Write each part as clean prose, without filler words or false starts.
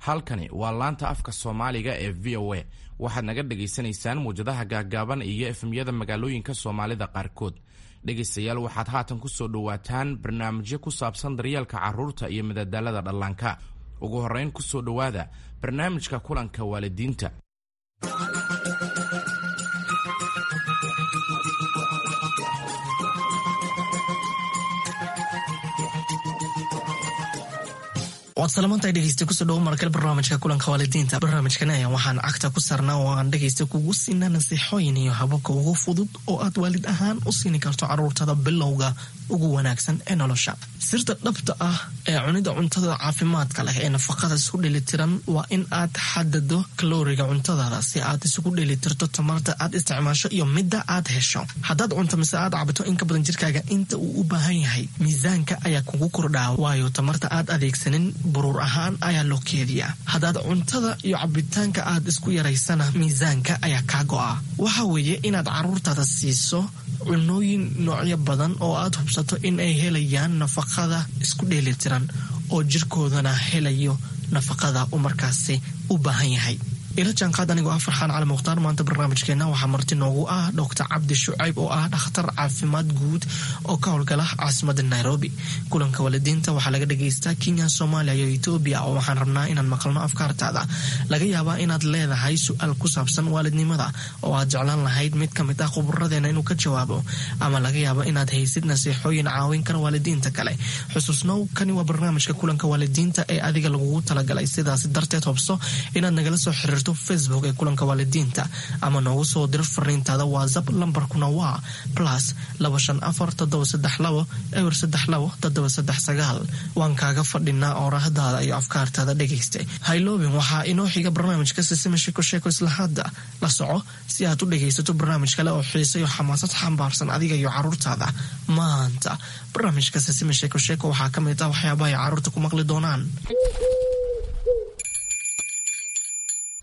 Halkani waa laanta afka Soomaaliga ee VOA. Waxaad naga dhagaysanaysaan muwjadaha gaaggaaban iyo FM-yada magaalooyinka Soomaalida qaarkood. Dhegaystayaal, waxaad haatan ku soo dhowaataan barnaamijyo ku saabsan daryeelka carruurta iyo madadaalada dhallaanka. Ugu horrayn, ku soo dhowaada barnaamijka kulanka waalidiinta. Waad salamantahay, dhegeysta. Kusoo dhawo markale barnaamijka kulanka waalidiinta. Barnaamijkan ayaa waxaan cagta ku saarnaa oo aan dhegeysta kugu siinaa nasiixooyin iyo hababka ugu fudud oo aad waalid ahaan u siini karto caruurtada bilowga ugu wanaagsan ee nolosha. Sirta dhabta ah ee cunida cuntada caafimaadka leh ee nafaqada isku dheelitiran waa in aad xadado kalooriga cuntadaada si aad isugu dheelitirto tamarta aad isticmaasho iyo midda aad hesho. Haddaad cunto mise aad cabto in ka badan jirkaaga inta uu u baahan yahay, miisaanka ayaa kugu kordhaa, waayo tamarta aad adeegsanin buruur ahaan ayaa loo keediyaa. Haddaad cuntada iyo cabitaanka aad isku yaraysana, miisaanka ayaa kaa go'a. Waxa weeye inaad caruurtaada siiso cunooyin noocyo badan oo aad hubsato in ay helayaan nafaqada isku dheelitiran oo jirkoodana helayo nafaqada uu markaasi u baahan yahay. Ila jaanqaad anigoo ah Farxaan Cali Mukhtaar. Maanta barnaamijkeena waxaa marti noogu ah Doctor Cabdi Shucayb oo ah dhakhtar caafimaad guud oo ka howlgala caasimada Nairobi. Kulanka waalidiinta waxaa laga dhagaystaa Kenya, Soomaaliya iyo Etoobiya, oo waxaan rabnaa inaan maqalno afkaartaada. Laga yaabaa inaad leedahay su-aal ku saabsan waalidnimada oo aad jeclaan lahayd mid ka mid ah khuburadeena inuu ka jawaabo, ama laga yaabo inaad haysid nasiixooyin caawin kara waalidiinta kale. Xusuusnow, kani waa barnaamijka kulanka waalidiinta ee adiga lagugu talagalay. Sidaas darteed, hobso inaad nagala soo xiriirto Facebook ee kulanka waalidiinta ama noogu soo diro fariintaada WhatsApp. Lambarkuna waa +254 732 032 739. Waan kaaga fadhinaa oorahdaada iyo afkaartaada, dhegaysta. Hayloobin, waxaa inoo xiga barnaamijka Sisima Sheeko Sheeko. Isla hadda la soco si aad u dhegaysato barnaamij kale oo xiise iyo xamaasad xambaarsan adiga iyo caruurtaada. Maanta barnaamijka Sisima Sheeko Sheeko waxaa ka mid ah waxyaabaha ay caruurta ku maqli doonaan.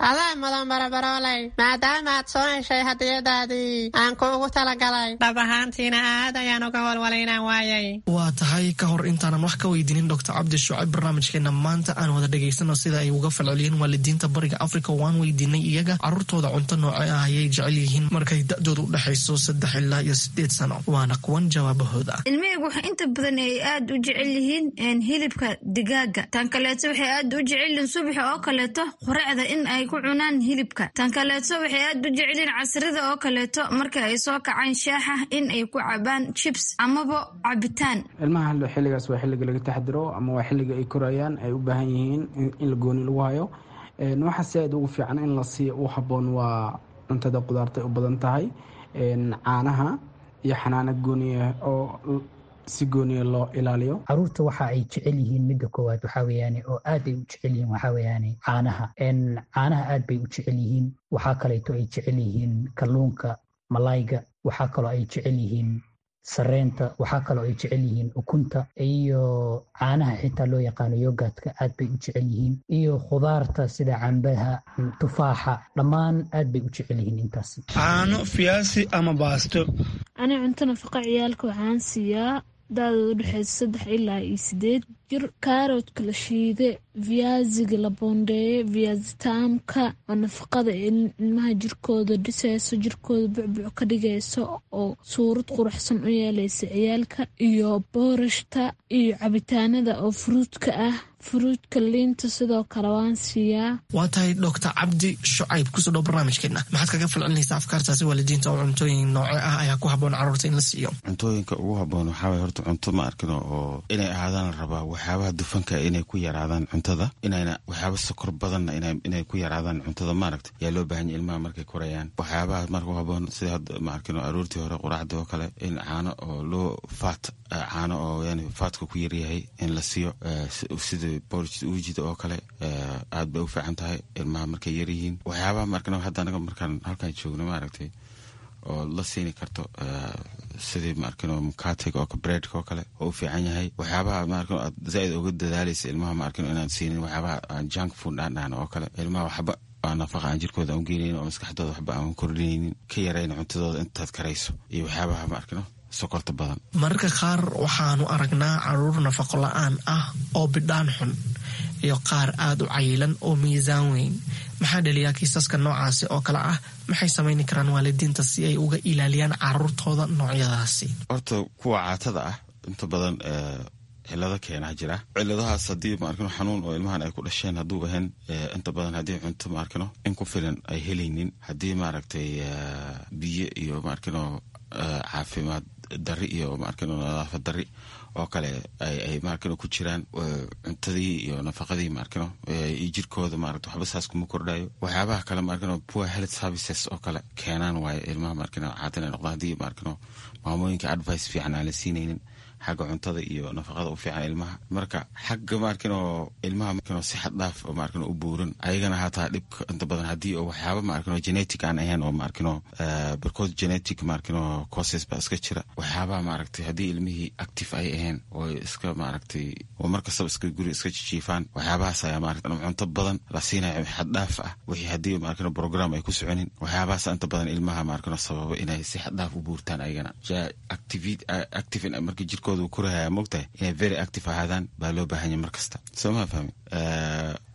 Adaa mudan, barabarooley, maadaama aad soo heshay hadiyadaadii aan kuugu talagalay. Dhab ahaantiina aad ayaan uga walwalay inaan waayay. Waa tahay. Ka hor intaanan wax ka weydiinin Doctor Cabdi Shucayb barnaamijkeena maanta, aan wada dhegaysano sida ay uga falceliyeen waalidiinta Bariga Africa. Waan weydiinay iyaga caruurtooda cunto nooce ah ayay jecel yihiin markay da-dooda u dhexayso 3 ilaa iyo 8 sano. Waana kuwan jawaabahooda. Ilmahaygu waxa inta badan ay aad u jecel yihiin hilibka digaaga. Tan kaleeto, waxay aad u jecel yihiin subaxa oo kaleeto quraacda in ay ku cunaan hilibka. Tan kaleeto, waxay aad u jecelyihiin casrida oo kaleeto marka ay soo kacaan shaaxa in ay ku cabaan chips amaba cabitaan. Ilmaha xilligaas waa xilliga laga taxdiro ama waa xilliga ay korayaan, ay u baahan yihiin in la gooni lagu hayo. Waxa si aad ugu fiican in la siiyo u habboon waa cuntada qudaarta ay u badan tahay, caanaha iyo xanaano gooniya oo si gooniya loo ilaaliyo. Caruurta waxa ay jecel yihiin, midda koowaad waxaa weeyaane oo aad ay u jecel yihiin, waxaa weeyaane caanaha. Caanaha aad bay u jecel yihiin. Waxaa kaleeto ay jecel yihiin kalluunka, malayga. Waxaa kaloo ay jecel yihiin sareenta. Waxaa kaloo ay jecel yihiin ukunta iyo caanaha xitaa loo yaqaano yogurtka, aad bay u jecel yihiin, iyo khudaarta sida cambaha, tufaaxa, dhammaan aad bay u jecel yihiin intaasi. Caano, fiyaasi ama baasto. Ani cunto nafaqa ciyaalka waxaan siiyaa da-dooda udhexeysa 3 ilaa iyo 8 jir kaaroodka la shiide, viaziga la boondeeye, viazitaamka oo nafaqada ilmaha jirkooda dhiseyso, jirkooda bucbuc ka dhigayso oo suurad quruxsan u yeeleysa ciyaalka, iyo boorashta iyo cabitaanada oo fruitka ah, fruitka, liinta sidoo kale waan siiyaa. Waa tahay. Doctor Cabdi Shucayb, kusoo dhow barnaamijkeena. Maxaad kaga falcelinaysaa afkaartaasi waalidiinta oo cuntooyin nooce ah ayaa ku habboon caruurta in la siiyo? Cuntooyinka ugu habboon waxaa waye horta cunto, ma arkino, oo inay ahaadaan la rabaa waxyaabaha dufanka inay ku yaraadaan cuntada, inayna waxyaaba sokor badanna inay ku yaraadaan cuntada, maaragta, yaa loo baahan yahay ilmaha markay korayaan. Waxyaabaha marka u habboon sida hadda, ma arkino, aroortii hore quraacda oo kale in caano oo loo fat, caano oo yani fatka ku yaryahay in la siiyo, sida porridge uujida oo kale, aad bay u fiican tahay ilmaha markay yaryihiin. Waxyaabaha, ma arkino, hadda anaga markaan halkaan joogno, maaragtay, oo la siini karto sidii, ma arkino, mukatiga oo breadka oo kale oo u fiican yahay. Waxyaabaha, ma arkino, aad zaaid uga dadaalaysa ilmaha, ma arkino, inaad siinin waxyaabaha aan junk food aan dhahno oo kale. Ilmaha waxba aan nafaqa aan jirkooda aan u geenaynin oo maskaxdooda waxba aan kordhinaynin, ka yarayna cuntadooda intaad karayso, iyo waxyaabaha, ma arkino, sokorta badan. Mararka qaar waxaanu aragnaa caruur nafaqo la-aan ah oo bidhaan xun. iyo qaar aada u cayilan oo miisaan weyn. Maxaa dhaliyaa kiisaska noocaasi oo kale ah? Maxay samayni karaan waalidiinta si ay uga ilaaliyaan caruurtooda noocyadaasi? Horta kuwa caatada ah inta badan cilado keenaa jira. Ciladahaas haddii maarkino xanuun oo ilmahan ay ku dhasheen hadduu ahayn, inta badan haddii cunto maarkino in ku filan ay helaynin, haddii maaragtay biyo iyo maarkino caafimaad dari iyo maarkino nadaafad dari oo kale ay maarkino ku jiraan, cuntadii iyo nafaqadii maarkino iyo jirkooda maaragta waxba saas kuma kordhayo. Waxyaabaha kale maarkino poor health services oo kale keenaan waaye ilmaha maarkino caadin ay noqdaan, haddii maarkino maamooyinka advice fiican aan la siinaynin xagga cuntada iyo nafaqada u fiican ilmaha. Marka xagga maarkino ilmaha maarkino si xad dhaaf oo maarkino u buuran ayagana hataa dhibka inta badan haddii oo waxyaaba maarkino genetic aan ahayn oo maarkino barkood genetic maarkino causes baa iska jira. Waxyaabaha maaragtay haddii ilmihii active ay ahayn oo iska maaragtay oo mar kastaba iska guri iska jijiifaan, waxyaabahaas ayaa maaragtay cunto badan la siinayo xad dhaaf ah, wixii haddii maarkino program ay ku soconin, waxyaabahaas inta badan ilmaha maarkino sababa inay si xad dhaaf u buurtaan ayagana. Active markii jirkooda korahaya mogtahay inay very active ahaadaan baa loo baahanya mar kasta, soo maa fahmi?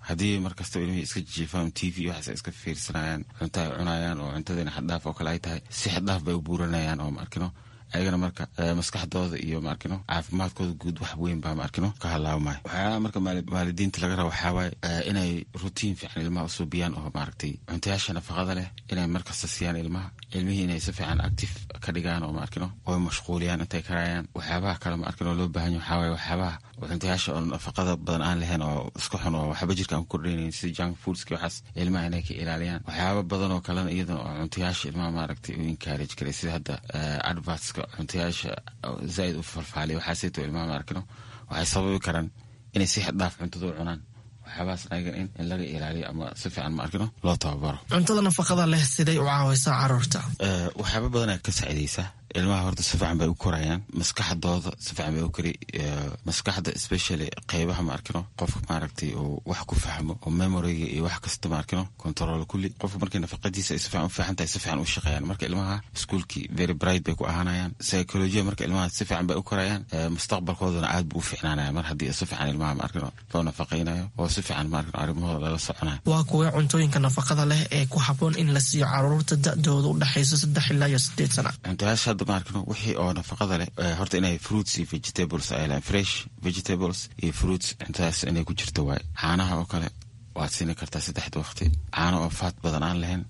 Haddii mar kasta ilmihii iska jiifaan, TV waxaas iska fiirsanayaan, cunto ay cunayaan oo cuntadiina xaddhaaf oo kale ay tahay, si xaddhaaf bay u buuranayaan oo maarkino ayagana marka maskaxdooda iyo maarkino caafimaadkooda guud wax weyn baa maarkino ka halaabmaya. Waxyaalaha marka waalidiinta laga raba waxaa waaye inay routine fiican ilmaha usuubiyaan oo maaragtay cuntayaasha nafaqada leh inay markasta siiyaan ilmaha, ilmihii inay si fiican active ka dhigaan oo maarkino oy mashquuliyaan intay karayaan. Waxyaabaha kale maarkino loo baahan yahay waxaa waaye waxyaabaha cuntayaasha oo nafaqada badan aan lahayn oo iska xun oo waxba jirka aan ku kordhaynayn, sida junk foodski, waxaas ilmaha inay ka ilaaliyaan. Waxyaaba badan oo kalena iyadana oo cuntayaasha ilmaha maaragtay u encourage karay, sida hadda advertska cuntayaasha zaaid u falfaaliya, waxaasayto ilmaha maarkino waxay sababi karaan inay si xad dhaaf cuntada u cunaan. Waxyaabahaas ayagan in laga ilaaliyo ama si fiican maarkino loo tababaro. Cuntada nafaqada leh siday u caawaysaa caruurta? Waxyaaba badan ay ka saacidaysaa ilmaha. Horta si fiican bay u korayaan, maskaxdooda si fiican bay u kori, maskaxda especially qeybaha maarkino qofka maaragtay uu wax ku fahmo oo memoryga iyo wax kasta maarkino control kulli. Qofka markii nafaqadiisa ay si fiican u fiican tahay, si fiican u shaqeeyaan. Marka ilmaha iskuulkii very bright bay ku ahaanayaan, psychology marka ilmaha si fiican bay u korayaan, mustaqbalkoodana aad buu u fiicnaanaya mar haddii si fiican ilmaha maarkino loo nafaqaynayo oo si fiican maarkino arrimahooda lala soconayo. Waa kuwee cuntooyinka nafaqada leh ee ku habboon in la siiyo caruurta da-dooda u dhexayso 3 ilaa iyo 8 sana? Cuntayaasha hadda maarkino wixii oo nafaqada leh horta inay fruits iyo vegetables ay lahayn, fresh vegetables iyo fruits, cuntadaas inay ku jirto waaye. Caanaha oo kale waad siini kartaa saddexda waqti, caano oo faat badan aan lahayn.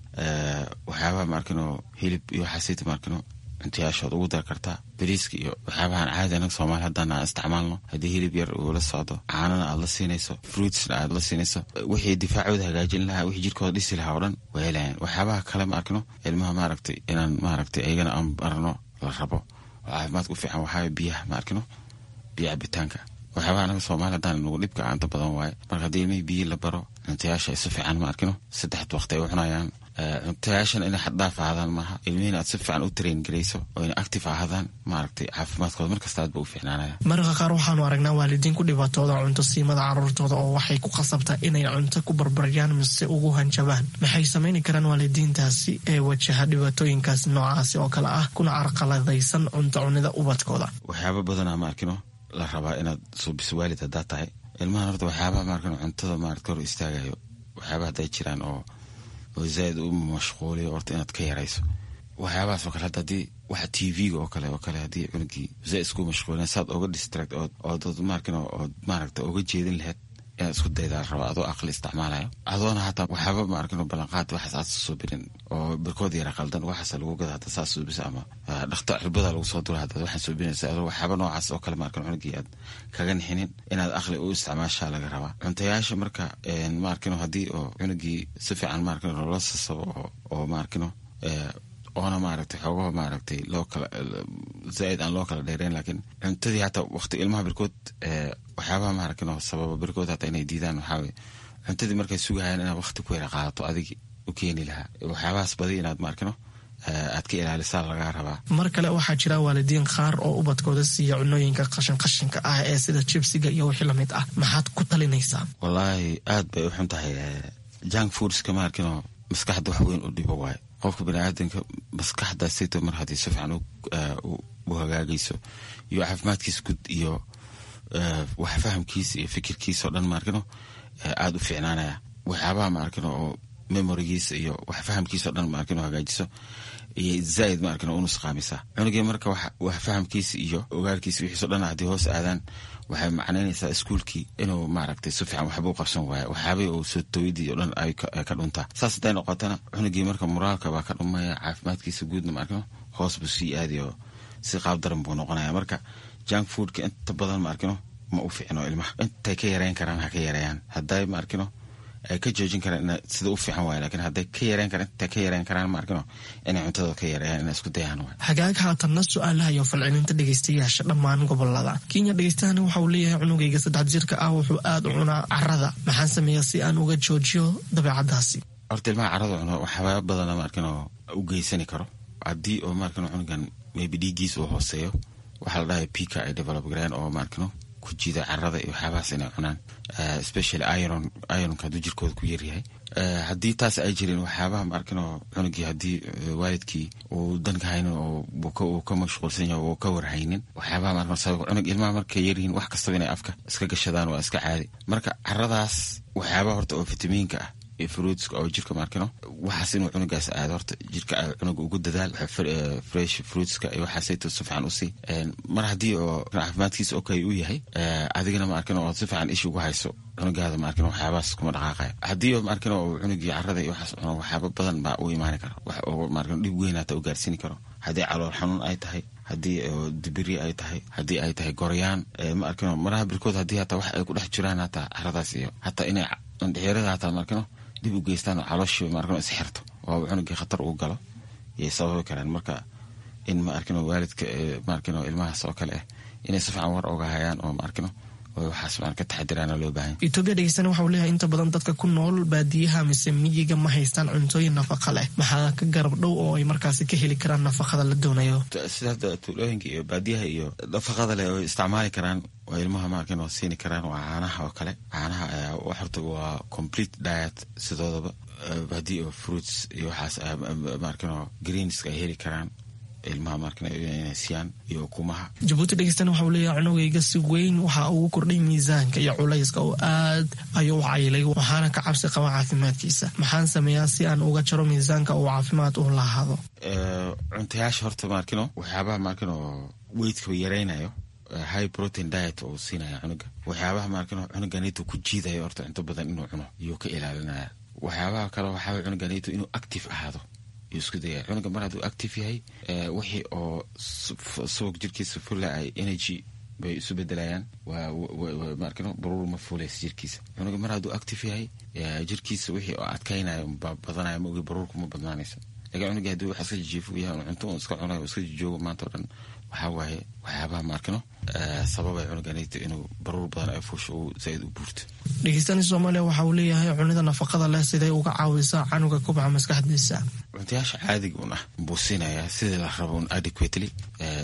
Waxyaabaha maarkino hilib iyo waxaasita maarkino cuntayaashood ugu dar kartaa, bariiska iyo waxyaabahan caadi anaga Soomaali haddaan aan isticmaalno. Haddii hilib yar uu la socdo, caanana aad la siinayso, fruitsna aad la siinayso, wixii difaacooda hagaajin lahaa, wixii jirkooda dhisi lahaa oo dhan waa helayaan. Waxyaabaha kale ma arkino ilmaha maaragtay inaan maaragtay ayagana aan barno la rabo oo caafimaadka u fiican waxaa biyaha ma arkino, biyo cabitaanka. Waxyaabaha anaga Soomaali haddaan nagu dhibka inta badan waaye. Marka haddii ilmihii biyi la baro, cuntayaasha ay si fiican ma arkino saddexda waqti ay u cunayaan, cuntayaashana inay xaddhaaf ahaadaan maaha, ilmihiina aad si fiican u train garayso oo inay active ahaadaan, maaragtay caafimaadkooda markasta aad ba u fiicnaanaya. Mararka qaar waxaanu aragnaa waalidiin ku dhibaatooda cunto siimada caruurtooda oo waxay ku khasabtaa inay cunto ku barbaryaan mise ugu hanjabaan. Maxay samayni karaan waalidiintaasi ee wajaha dhibaatooyinkaas noocaasi oo kale ah kuna carqaladaysan cunto cunida ubadkooda? Waxyaaba badanaa ma arkino la rabaa inaad suubiso waalid haddaa tahay ilmahan. Horta waxyaabaha maarkino cuntada maarata hor istaagayo, waxyaabaha hadday jiraan oo zaaid u mashquuliyo, horta inaad ka yarayso waxyaabahaas oo kale. Hadda haddii waxa TV-ga oo kale haddii cunugii zaaid isku mashquulina, saad oga distract ood maarkino ood maaragta oga jeedin lahayd inaad isku daydaa la rabaa, adoo aqli isticmaalayo, adoona hataa waxyaaba maarkino ballanqaad waxaas aad suubinin oo barkood yara qaldan waxaas lagu gada hadda saas suubisa ama dhakta cirbada lagu soo dura haddaad waxaan suubinaysa, adoo waxyaaba noocaas oo kale maarkino cunugii aad kaga nixinin, inaad aqli u isticmaashaa laga rabaa cuntayaasha. Marka maarkino haddii oo cunugii si fiican maarkino loola sasabo oo maarkino oona maaragtay xoogaha maaragtay loo kala zaaid aan loo kala dheereyn, laakiin cuntadii hataa waqti ilmaha barkood waxyaabaha maaragtay sababa barkood hataa inay diidaan waxaa weye cuntadii markay sugahayaan inaad waqti ku yara qaadato adig u keeni lahaa. Waxyaabahaas badi inaad maarkino aad ka ilaalisaa lagaa rabaa. Mar kale waxaa jira waalidiin qaar oo ubadkooda siiya cunooyinka qashin qashinka ah ee sida jibsiga iyo wixii lamid ah. Maxaad ku talinaysaa? Wallaahi aad bay u xun tahay junk foodska maarkino, maskaxda wax weyn u dhibo waaye. Qofka baniaadanka maskaxdaasito mar haddii si fiican u hagaagayso iyo caafimaadkiisa guud iyo wax fahamkiisa iyo fikirkiisa oo dhan maarkino Aada u fiicnaanaya waxyaabaha ma arkin oo memorigiisa iyo wax fahamkiisa o dhan ma arkin oo hagaajiso iyo zaaid ma arkin oo u nusqaamisaa cunugii. Marka wax fahamkiisa iyo ogaalkiisa wixiiso dhan haddii hoos aadaan, waxay macnaynaysaa iskuulkii inuu maaragtay si fiican waxba u qabsan waayo, waxyaabihii uu soo tooyadii o dhan ay ka dhuntaa. Saas hadday noqotana, cunugii marka moraalka baa ka dhumaya, caafimaadkiisa guudna ma arkino hoos buu sii aadayo, si qaab daran buu noqonaya. Marka junk foodka inta badan ma arkino ma u fiicno ilmaha. Intay ka yareyn karaan ha ka yareeyaan. Hadday ma arkino ay ka joojin karaan sida u fiican waay, lakin hadday ka yareyn karaan, intay ka yareyn karaan ma arkino inay cuntada ka yareeyaan, inay isku dayaan waay. Hagaag, haatanna su-aalaha iyo falcelinta dhegeystayaasha dhammaan gobolada Kenya. Dhegeystahani waxa uu leeyahay: cunugayga 3 jirka ah wuxuu aada u cunaa carada, maxaan sameeyaa si aan uga joojiyo dabeecadaasi? Horta ilmaha carada cuno waxyaaba badana ma arkino u geysani karo. Haddii oo ma arkino cunugan maybe dhiiggiisa uu hooseeyo, waxaa la dhahay pica ay develop gareen oo ma arkino ku jiida carada iyo waxyaabahaas inay cunaan, especially iron. Ironka hadduu jirkooda ku yaryahay, haddii taas ay jirin, waxyaabaha ma arkino cunugii haddii waalidkii uu danka haynin oo uu ka mashquulsan yahay oo ka warhaynin waxyaabaha ma arkino sabab cunug. Ilmaha markay yaryihiin wax kastaba inay afka iska gashadaan waa iska caadi. Marka caradaas waxyaabaha horta oo fitamiinka ah iyo fruitska oo jirka ma arkino waxaas inuu cunugaas aado, horta jirka cunuga ugu dadaal fresh fruitska iyo waxaasayto si fiican usii. Mar haddii oo caafimaadkiisa okay u yahay, adigana ma arkino ood si fiican ishi ugu hayso cunugaada, ma arkino waxyaabahaas kuma dhaqaaqaya. Haddii oo ma arkino uu cunugii carada iyo waxaas cuno, waxyaaba badan baa u imaani kara, wax oo ma arkino dhib weyn hata u gaarsiini karo. Haddii calool xanuun ay tahay, haddii dibiri ay tahay, haddii ay tahay goryaan, ma arkino maraha birkood, haddii hataa wax ay ku dhex jiraan hataa caradaas iyo hataa inay indhexyarada hataa ma arkino dib u geystaan oo calooshii ma arkino isxirto oo cunugii khatar uu galo yay sababi karaan. Marka in ma arkino waalidka ma arkino ilmahaas oo kale ah inay si fiican war oga hayaan oo ma arkino oo waxaas ma ka taxadiraana loo baahan. Etoobiya dhegeystana waxa uu leeyahay: inta badan dadka ku nool baadiyaha mise miyiga ma haystaan cuntooyin nafaqa leh, maxaa ka garab dhow oo ay markaasi ka heli karaan nafaqada la doonayo? Sida hadda tuulooyinka iyo baadiyaha iyo nafaqada leh oo isticmaali karaan oo ilmaha ma arkin oo siini karaan waa caanaha oo kale. Caanaha ayaa horta waa complete diet sidoodaba. Haddii oo fruits iyo waxaas ma arkin oo greenska ay heli karaan ilmaha ma arkin inay siiyaan iyo ukumaha. Jabuuti dhegeystana waxa uu leeyahay: cunugayga si weyn waxa ugu kordhay miisaanka iyo culayska oo aad ayuu u caylay, waxaana ka cabsi qaba caafimaadkiisa. Maxaan sameeyaa si aan uga jaro miisaanka uu caafimaad u lahaado? Cuntayaasha horta ma arkino waxyaabaha ma arkino weightka yaraynayo, high protein diet oo siinaya cunuga. Waxyaabaha ma arkino cunuganito ku jiidayo horta cunto badan inuu cuno iyuu ka ilaalinaya. Waxyaabaha kale waxaa cunuganito inuu active ahaado yuu isku dayaya. Cunuga mar hadduu active yahay, wixii oo subag jirkiisa fula ay energy bay isu bedelayaan, ma arkino baruur ma fuulaysa jirkiisa. Cunuga mar hadduu active yahay, jirkiisa wixii oo adkaynayo baa badanaya, ma ogi baruurku ma badnaanayso. Lakin cunuga haddii wax iska jijiifo yahay, cunto un iska cunayo, iska jijoogo maanta o dhan, waxaa waaye waxyaabaha ma arkino sababay cunuganito inuu baruur badan ay fuusho, uu zaaid u buurto. Dhegeystani Soomaaliya waxa uu leeyahay: cunida nafaqada leh siday uga caawisaa canuga kubca maskaxdiisa? Cuntayaasha caadiga un ah buu siinayaa sidii la rabo un adequately,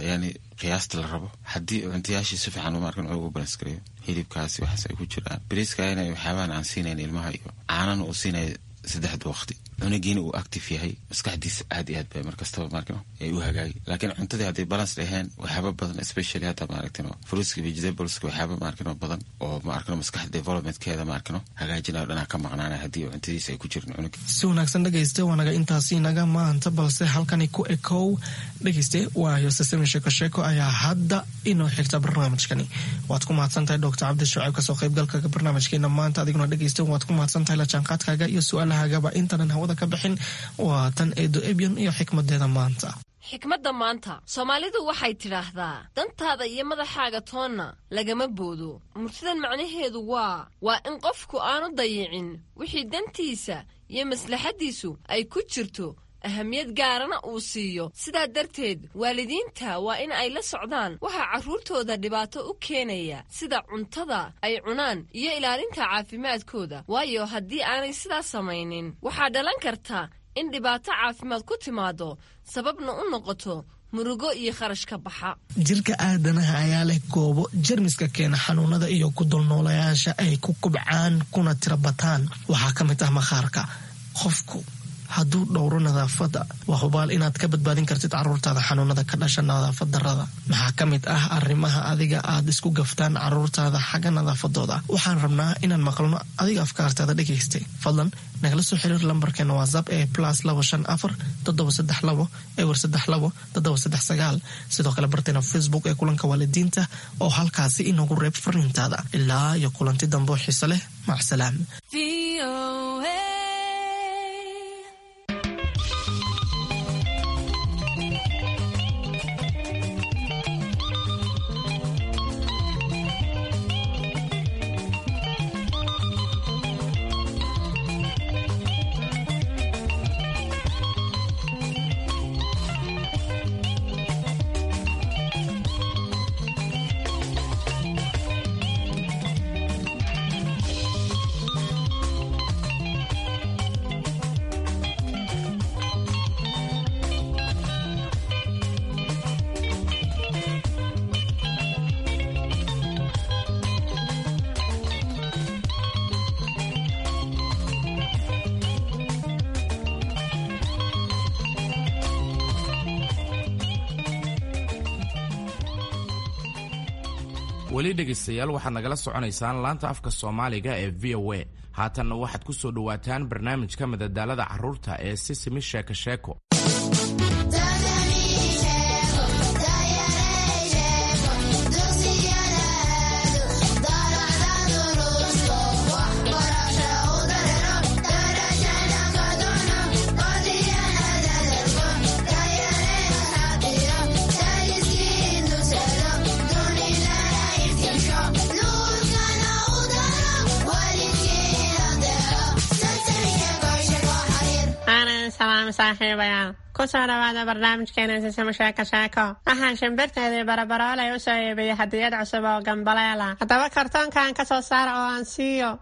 yani qiyaasta la rabo. Haddii cuntayaashii si fiican ma arkin cunuga u balance gareeyo, hilibkaasi waxaas ay ku jiraan, bariiskaana waxyaabahan aan siinayn ilmaha iyo caanana uu siinaya saddexda waqti, cunugiina uu active yahay, maskaxdiisa aad iyo aad bay markastaba maarkino ay u hagaagi. Laakiin cuntadii hadday balance dhaheen, waxyaaba badan, especially hadda maaragtino fruitska, vegetables, waxyaaba maarkino badan oo maarkino maskaxda developmentkeeda maarkino hagaajinayo dhanaa ka maqnaanaya haddii cuntadiisa ay ku jirin cunuga. Si wanaagsan dhegayste, waa naga intaasi naga maanta, balse halkani ku ekow dhegayste, waayo sasami sheeko sheeko ayaa hadda inoo xigta barnaamijkani. Waad ku mahadsantahay Doctor Cabdi Shucayb kasoo qaybgalka barnaamijkeena maanta. Adiguna dhegayste waad ku mahadsantahay la jaanqaadkaaga iyo su-aalahagaba. Intanan hawada ka bixin, waa tan Eedo Ebyan iyo xikmadeeda maanta. Xikmadda maanta, Soomaalidu waxay tidhaahdaa: dantaada iyo madaxaaga toonna lagama boodo. Murtidan macnaheedu waa in qofku aanu dayicin wixii dantiisa iyo maslaxaddiisu ay ku jirto, ahamiyad gaarana uu siiyo. Sidaa darteed waalidiinta waa in ay la socdaan waxaa carruurtooda dhibaato u keenaya, sida cuntada ay cunaan iyo ilaalinta caafimaadkooda, waayo haddii aanay sidaas samaynin waxaa dhalan karta in dhibaato caafimaad ku timaado, sababna u noqoto murugo iyo kharash ka baxa. Jirka aadanaha ayaa leh goobo jermiska keena xanuunada iyo ku dulnoolayaasha ay ku kubcaan kuna tira bataan. Waxaa ka mid ah maqaarka. Qofku hadduu dhowro nadaafadda, waa hubaal inaad ka badbaadin kartid caruurtaada xanuunada ka dhasha nadaafad darrada. Maxaa ka mid ah arrimaha adiga aad isku gaftaan caruurtaada xagga nadaafadooda? Waxaan rabnaa inaan maqalno adiga afkaartaada dhegaystay. Fadlan nagala soo xiriir lambarkeena WhatsApp ee +254 732 032 739. Sidoo kale barteena Facebook ee Kulanka Waalidiinta oo halkaasi inoogu reeb fariintaada. Ilaa iyo kulanti dambe oo xiise leh, macsalaam. Weli dhegaystayaal, waxaad nagala soconaysaan laanta afka Soomaaliga ee VOA. Haatanna waxaad ku soo dhowaataan barnaamijka madadaalada carruurta ee Sisimi Sheeko Sheeko. Salaam saaxiibayaal, kusoo dhawaada barnaamijkeena Sisimo Sheeko Sheeko. Waxaan shimbirteedii Barabaroolay u soo iibiyey hadiyad cusub oo gambaleela. Haddaba kartoonkan ka soo saara oo aan siiyo.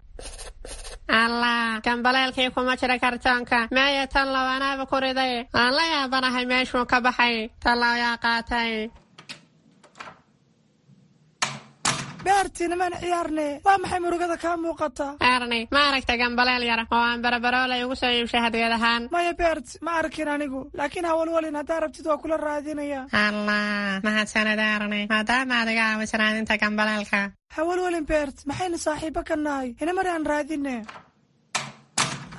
Allah, gambaleelkii kuma jira kartoonka. Meeya tan low? Anaaba ku riday. Aan la yaabanahay meeshuu ka baxay. Tallow yaa qaatay? Beerti, nimaan ciyaarne. Waa maxay murugada kaa muuqata? Erni, ma aragta gambaleel yar oo aan Barabaroolay ugu soo iibshay hadiyad ahaan? Maya Beert, ma arkin anigu, laakiin hawalwalin, haddaa rabtid waa kula raadinaya. Allah, mahadsanid Erni, maadaama aad iga caawisay raadinta gambaleelka. Hawalwalin Beert, maxaynu saaxiibo ka nahay? Inamari aan raadine.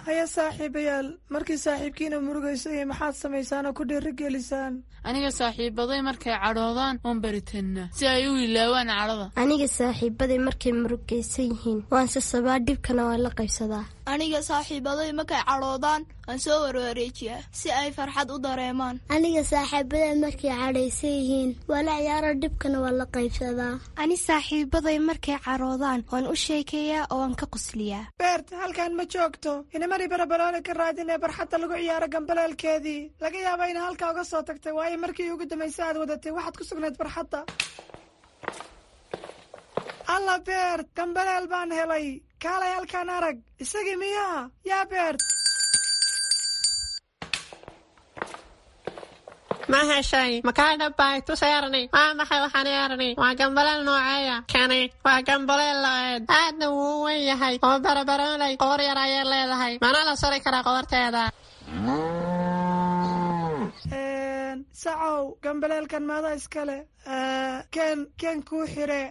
Haya saaxiibayaal, markii saaxiibkiina murugaysayay maxaad samaysaan oo ku dhiirigelisaan? Aniga saaxiibaday markay cadhoodaan oon baritannaa si ay u ilaawaan cadhada. Aniga saaxiibaday markay murugaysan yihiin waan sasabaa, dhibkana waan la qaybsadaa. Aniga saaxiibaday markay cadhoodaan waan soo warwareejiyaa si ay farxad u dareemaan. Aniga saaxiibaday markay cadhaysan yihiin waa la ciyaaro, dhibkana waan la qaybsadaa. Ani saaxiibaday markay cadhoodaan waan u sheekeeyaa oo waan ka qosliyaa. Beert, halkan ma joogto. Inamari Barabaloole ka raadin ee barxadda lagu ciyaaro gambaleelkeedii. Laga yaaba ina halkaa uga soo tagtay, waayo markii ugu dambaysa aad wadatay waxaad ku sugnayd barxadda. Alla Beert, gambaleel baan helay. Kaalay halkaan arag. Isagii miyaa yaa Beert? Ma heshay? Makaa dhabbay? Tus Erni. Waa maxay waxaan Erni? Waa gambaleel nooceeya kani? Waa gambaleel lo-eed, aadna wuu u weyn yahay oo Barabaroolay qoor yar ayay leedahay. Mana la sari karaa qoorteeda? Sacow, gambaleelkan maada iskale? Ken ken kuu xire.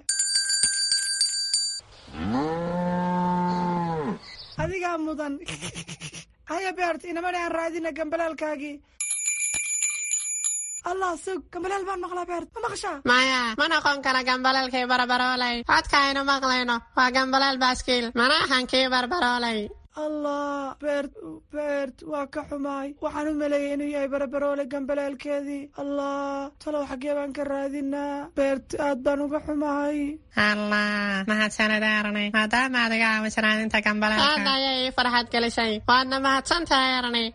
Adigaa mudan. Haya Beert, inamani aan raadina gambaleelkaagii. Allah, sug, gambaleel baan maqlaa. Beert, ma maqashaa? Maya, ma noqon kara gambaleelkii Barabaroolay. Codka aynu maqlayno waa gambaleel baaskiil, mana ahan kii Barbaroolay. Allah Beert, Beert, waa ka xumaay. Waxaan u maleeyay inuu yahay Barabaroole gambaleelkeedii. Allah, talow xaggee baan ka raadinaa? Beert, aad baan uga xumahay. Allah, mahadsanid Erni, maadaama aad iga caawisay raadinta gambaleelka. Aad ayay ii farxad gelisay, waadna mahadsantahay Erni.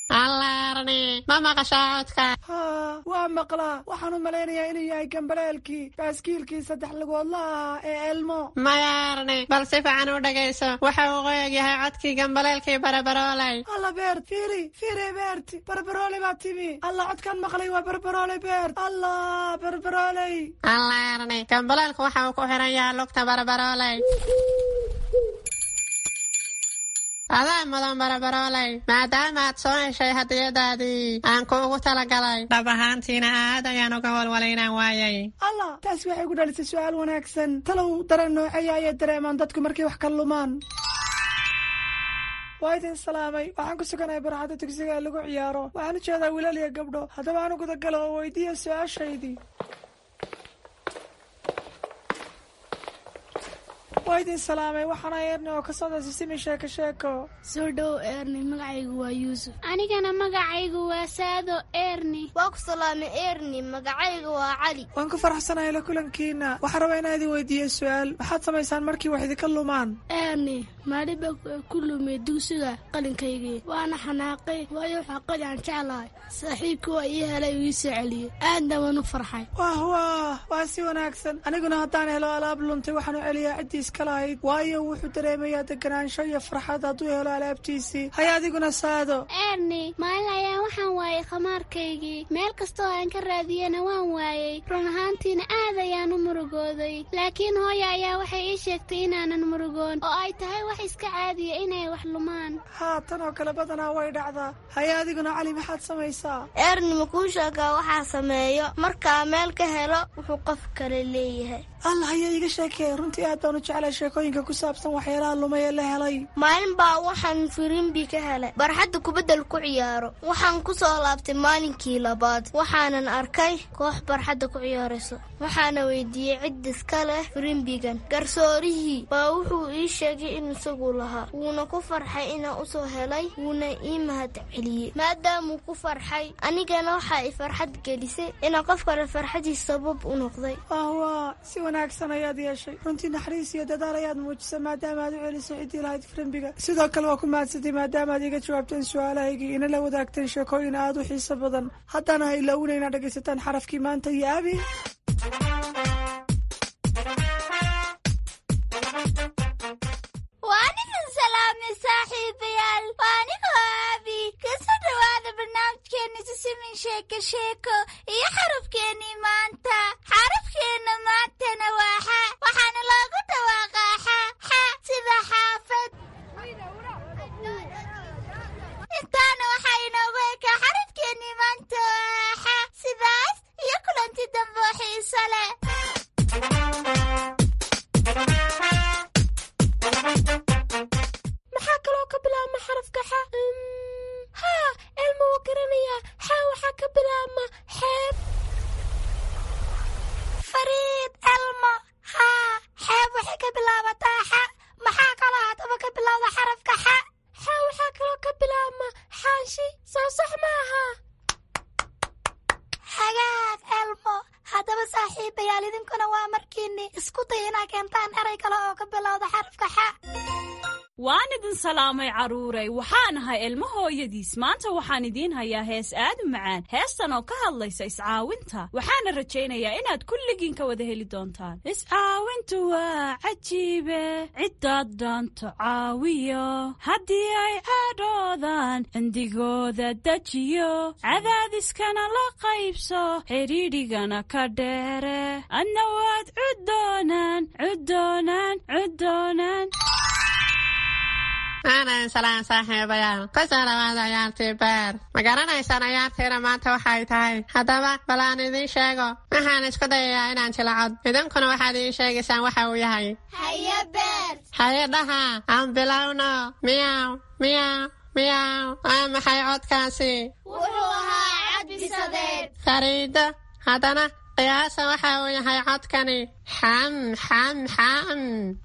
Allah Erni, ma maqashaa codka? Haa, waa maqlaa. Waxaan u malaynayaa inuu yahay gambaleelkii baaskiilkii saddex lugoodlaha ee Elmo. Maya Erni, bal si fiican u dhegayso. Waxa uu qoyag yahay codkii gambaleelkii Barabaroolay. Alla Beert, fiiri fiiri. Beert, Barbaroole baa timi. Allah, codkaan maqlay waa Barbaroole. Beert, Allah, Barbarooley. Allah Erni, gambaleelku waxa uu ku xiran yahay lugta Barabarooley. Adaa mudan barabarooley, maadaama aad soo heshay hadiyadaadii aan kuugu talagalay. Dhab ahaantiina aad ayaan uga walwalay inaan waayay. Allah, taasi waxay ku dhalisay su'aal wanaagsan. Talow dareen nooceeya ayay dareemaan dadku markay wax ka lumaan? Waa idin salaamay. Waxaan ku suganahay barxadda dugsiga ee lagu ciyaaro. Waxaan u jeedaa wiilal iyo gabdho. Haddaba aan u gudagalo oo weydiiya su-aashaydii. Waa idin salaamay, waxaana Eerni oo ka socda Sisimi Sheeko Sheeko. Soo dhow Eerni, magacaygu waa Yuusuf. Anigana magacaygu waa Saado Eerni. Waa ku salaamay Eerni, magacayga waa Cali. Waan ku faraxsanahay la kulankiina. Waxaan rabaa inaan idin weydiiyo su-aal. Maxaad samaysaan markii wax idinka lumaan? Eerni, maalin baa ku lumay dugsiga qalinkaygii, waana xanaaqay, waayo waxaa qali aan jeclahay. Saaxiibkii waa ii helay, uu ii soo celiyey, aadna waan u farxay. Wah wah, waa si wanaagsan. Aniguna haddaan helo alaab luntay, waxaan u celiyaa ciddii iska lahayd, waayo wuxuu dareemayaa deganaansho iyo farxad hadduu helo alaabtiisii. Haya adiguna Saado. Eerni, maalin ayaa waxaan waayay khamaarkaygii. Meel kastoo aan ka raadiyena waan waayey. Run ahaantiina aad ayaan u murugooday, laakiin hooya ayaa waxay ii sheegtay inaanan murugoon oo ay tahay wax iska caadiya inay wax lumaan. Haa, tan oo kale badanaa way dhacdaa. Haya adiguna Cali, maxaad samaysaa? Eerni, ma kuu sheegaa waxaa sameeyo markaa meel ka helo wuxuu qof kale leeyahay? Allah, haya iiga sheekee. Runtii aad baan u jeclay sheekooyinka ku saabsan waxyaalaha lumay ee la helay. Maalin baa waxaan firimbi ka helay barxadda kubaddal ku ciyaaro. Waxaan ku soo laabtay maalinkii labaad, waxaanan arkay koox barxadda ku ciyaarayso. Waxaana weydiiyey cid iska leh firimbigan. Garsoorihii baa wuxuu ii sheegay in isagu lahaa, wuuna ku farxay inaan usoo helay, wuuna ii mahad celiyey. Maadaamuu ku farxay, anigana waxaa i farxad gelisay inaan qof kale farxadiis sabab u noqday. Wah, si wanaagsan ayaad yeeshay. Runtii naxariis iyo dadaal ayaad muujisay maadaama aad u celisay ciddii lahayd firimbiga. Sidoo kale waa ku mahadsantay maadaama aad iga jawaabteen su-aalahaygii, ina la wadaagteen sheekooyin aad u xiiso badan. Haddana ha ilaawina inaad dhegaysataan xarafkii maanta iyo Abi. Waan idin salaamay saaxiibayaal, waa anigoo Aabi. Kasoo dhowaada barnaamijkeena Sisimin Sheeko Sheeko iyo xarafkeennii maanta. Xarafkeenna maantana waa xa, waxaana loogu dhawaaqaa xa xa, sida xaafad. Intaana waxaa inoogu ekaa xarafkeennii maanta oo xa. Sidaas iyo kulanti dambe oo xiiso leh. Maxaa kaloo ka bilaabma xarafka xa? Haa, Elma wuu garanayaa. Xa waxaa ka bilaabma xeeb. Fariid, Elmo, haa, xeeb waxay ka bilaabataa xa. Maxaa kaloo haddaba ka bilowda xarafka xa? Xa waxaa kaloo ka bilaabma xaanshi, soo sax maaha? Hagaag Elmo. Haddaba saaxiibayaal, idinkuna waa markiinni isku day inaa keentaan eray kale oo ka bilowda xarafka xa. Waan idin salaamay carruuray, waxaan ahay Ilmo hooyadiis. Maanta waxaan idiin hayaa hees aad u macaan, heestan oo ka hadlaysa iscaawinta. Waxaana rajaynayaa inaad kulligiin ka wada heli doontaan. Iscaawintu waa cajiibe, ciddaad doonto caawiyo, haddii ay cadhoodaan cindigooda dejiyo, cadaadiskana la qaybso, xidhiidhigana ka dheere, adna waad cuddoonaan cuddoonaan cuddoonaan. Aanan salaan saaxiibayaal, kusoo dhawaada ciyaartii beer. Ma garanaysaan ciyaartiina maanta waxay tahay? Haddaba bal aan idiin sheego. Waxaan isku dayayaa inaan jilacod, idinkuna waxaad ii sheegaysaan waxa uu yahay. Haye Beer. Haye dhaha, aan bilowno. Miyaw miyaw miyaw, waa maxay codkaasi? Wuxuu ahaa cadbisadeed. Fariido, haddana qiyaasa waxa uu yahay codkani. Xam xam xam,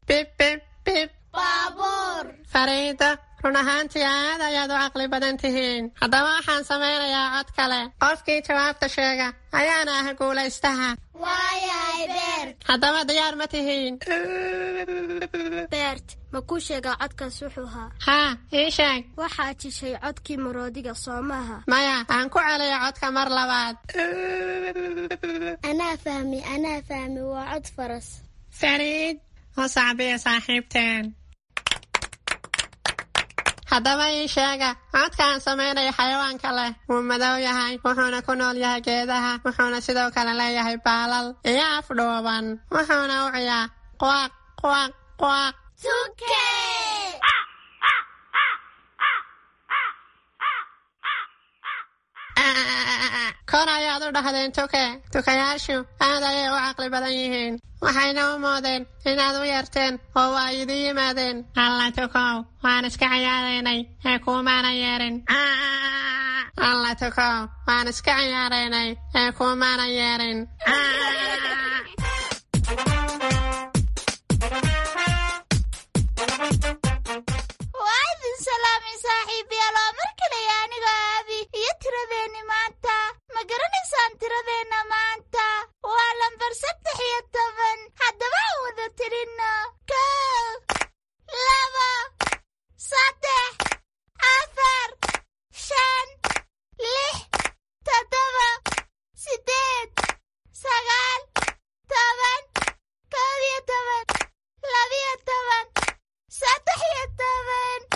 bib bib bib. Baabuur. Fariido, run ahaantii aad ayaad u caqli badan tihiin. Haddaba waxaan samaynayaa cod kale. Qofkii jawaabta sheega ayaana ah guulaystaha. Waayahay Beert. Haddaba diyaar ma tihiin? Beert, ma kuu sheegaa codkaas wuxuu ahaa? Haa, ii sheeg. Waxaad jishay codkii maroodiga, soo maaha? Maya, aan ku celiyo codka mar labaad. Anaa fahmi, anaa fahmi, waa cod faras. Fariid, u sacbiya saaxiibteen. Haddaba ii sheega codka aan samaynayo xayawaanka leh. Wuu madow yahay, wuxuuna ku nool yahay geedaha, wuxuuna sidoo kale leeyahay baalal iyo af dhuuban, wuxuuna u ciyaa quaq quaq quaq. Tuke. Kor ayaad u dhahdeen tuke. Tukayaashu aad ayay u caqli badan yihiin, waxayna u moodeen inaad u yeerteen oo waa idin yimaadeen. Alla tukow, waan iska ciyaaraynay ee kuumaana yeerin. Alla tukow, waan iska ciyaaraynay ee kuumaana yeerin. Waa idin salaamay saaxiibayaal, oo mar kaleya aniga Aabi iyo tiradeenni maanta. Ma garanaysaan tiradeenna maanta? Waa lambar 13. Haddaba aan wada tirinno: 1, 2, 3, 4, 5, 6, 7, 8, 9, 10, 11, 12, 13.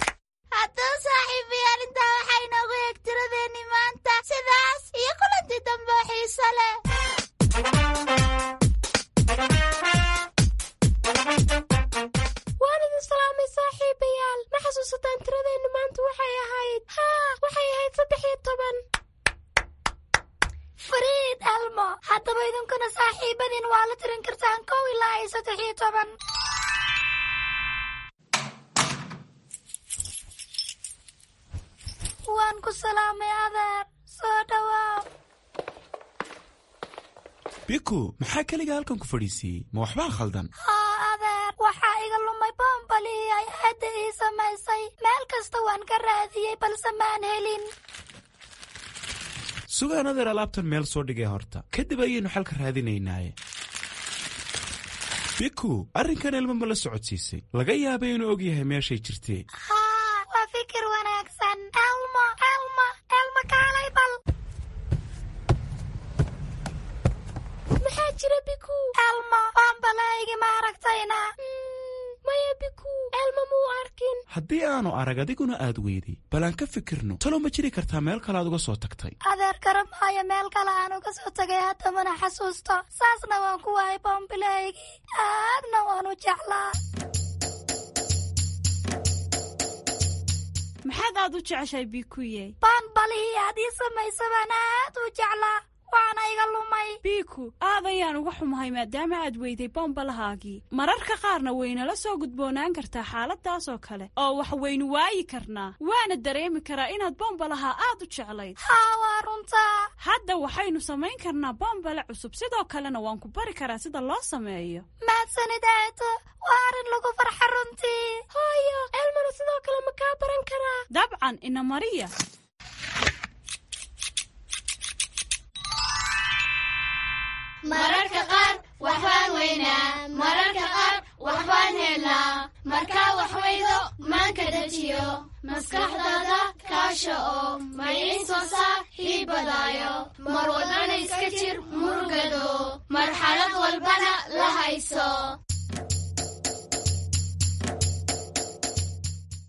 Haddaba saaxiibayaal, intaa waxaa inoogu eeg tiradeenni maanta. Sidaas iyo kulanti dambe oo xiiso leh. Waan idin salaamay saaxiibayaal. Ma xasuusataan tiradeennu maanta waxay ahayd? Haa, waxay ahayd 13. Fariid Elmo, haddaba idinkuna saaxiibadiin waa la tirin kartaan 1 ilaa iyo 13. Waan ku salaamay adeer, soo dhawaaw. Biku, maxaa keliga halkan ku fadhiisiiyey? Ma waxbaa khaldan? Haa adeer, waxaa iga lumay boombalihii ay aadda ii samaysay. Meel kasta waan ka raadiyey, balse maan helin. Sugaan adeer, alaabtan meel soo dhigay horta, kadib ayaynu xalka raadinaynaaye. Biku, arrinkan ilmo ma la socodsiisay? Laga yaabay inuu og yahay meeshay jirtee. Haa, waa fikir wanaagsan. Elmo, Elmo, Elmo, kaalay bal. Maxaa jira, Biku? Elmo, boombalahaygi ma aragtayna? Maya Biku, Elmo muu arkin. Haddii aanu arag adiguna aad weyday, bal aan ka fikirno. Talow ma jiri kartaa meel kale aad uga soo tagtay? Adeer, garan maayo meel kale aan uga soo tagay, hadda mana xasuusto. Saasna waan ku waayay boombilahaygii, aadna waan u jeclaa. Maxaad aad u jeceshahay, Bikuye? Boonbalihii aad ii samaysa baan aad u jeclaa, waana iga lumay. Biku, aad ayaan uga xumahay maadaama aad weyday boombalahaagii. Mararka qaarna waynala soo gudboonaan kartaa xaaladaas oo kale oo wax waynu waayi karnaa, waana dareemi karaa inaad boombalaha aad u jeclayd. Haa, waa runtaa. Hadda waxaynu samayn karnaa boombale cusub, sidoo kalena waan ku bari karaa sida loo sameeyo. Mahadsanid aato, waa arrin lagu farxa runtii. Hooyo, Elmona sidoo kale ma kaa baran karaa? Dabcan, ina mariya. Mararka qaar waxbaan weynaa, mararka qaar waxbaan helnaa. Markaa wax weydo, maanka dejiyo, maskaxdaada kaasha oo maciin soo saaxiibadaayo. Mar walbana iska jir murugado, marxalad walbana la hayso.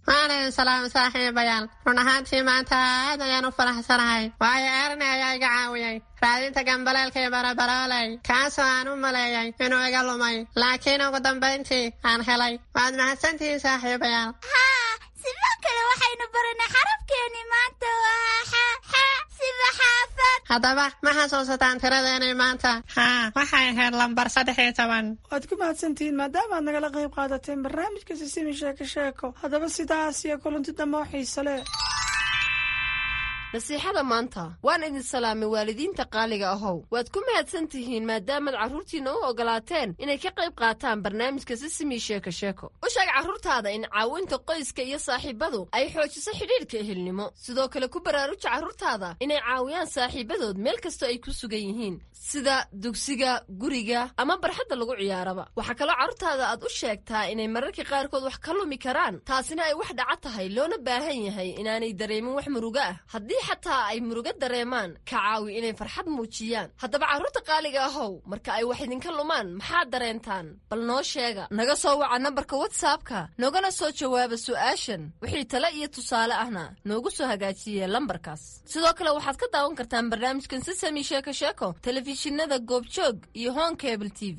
Waan idin salaamay saaxiibayaal. Run ahaantii maanta aad ayaan u faraxsanahay, waayo Erni ayaa iga caawiyey raadinta gambaleelkii barabarooley, kaasoo aan u maleeyay inuu iga lumay, laakiin ugu dambayntii aan helay. Waad mahadsantihiin saaxiibayaal. Haa, sidoo kale waxaynu baranay xarafkeenii maanta waa xa, xa sida xaafad. Haddaba ma xasuusataan tiradeenii maanta? Haa, waxay ahayd lambar 13. Waad ku mahadsantihiin maadaama aad nagala qayb qaadateen barnaamijka Sisimi Sheeko Sheeko. Haddaba sidaas iyo kulanti dambe oo xiise leh. Nasiixada maanta. Waan idin salaamay waalidiinta qaaliga ahow. Waad ku mahadsan tihiin maadaamaad carruurtiinna u ogolaateen inay ka qayb qaataan barnaamijka Sisimi Sheeko Sheeko. U sheeg carruurtaada in caawinta qoyska iyo saaxiibadu ay xoojiso xidhiidhka ehelnimo. Sidoo kale ku baraaruja carruurtaada inay caawiyaan saaxiibadood meel kastoo ay ku sugan yihiin, sida dugsiga, guriga ama barxadda lagu ciyaaraba. Waxaa kaloo carruurtaada aad u sheegtaa inay mararka qaarkood wax ka lumi karaan, taasina ay wax dhaca tahay, loona baahan yahay inaanay dareemin wax murugo ah. Haddii xataa ay murugo dareemaan, ka caawi inay farxad muujiyaan. Haddaba carruurta qaaliga ahow, marka ay wax idinka lumaan maxaad dareentaan? Bal noo sheega. Naga soo waca nambarka WhatsAppka, noogana soo jawaaba su'aashan. Wixii tale iyo tusaale ahna noogu soo hagaajiye lambarkaas. Sidoo kale waxaad ka daawan kartaan barnaamijkan Sisami Sheeko Sheeko telefishinada Goobjoog iyo Hon Cable TV.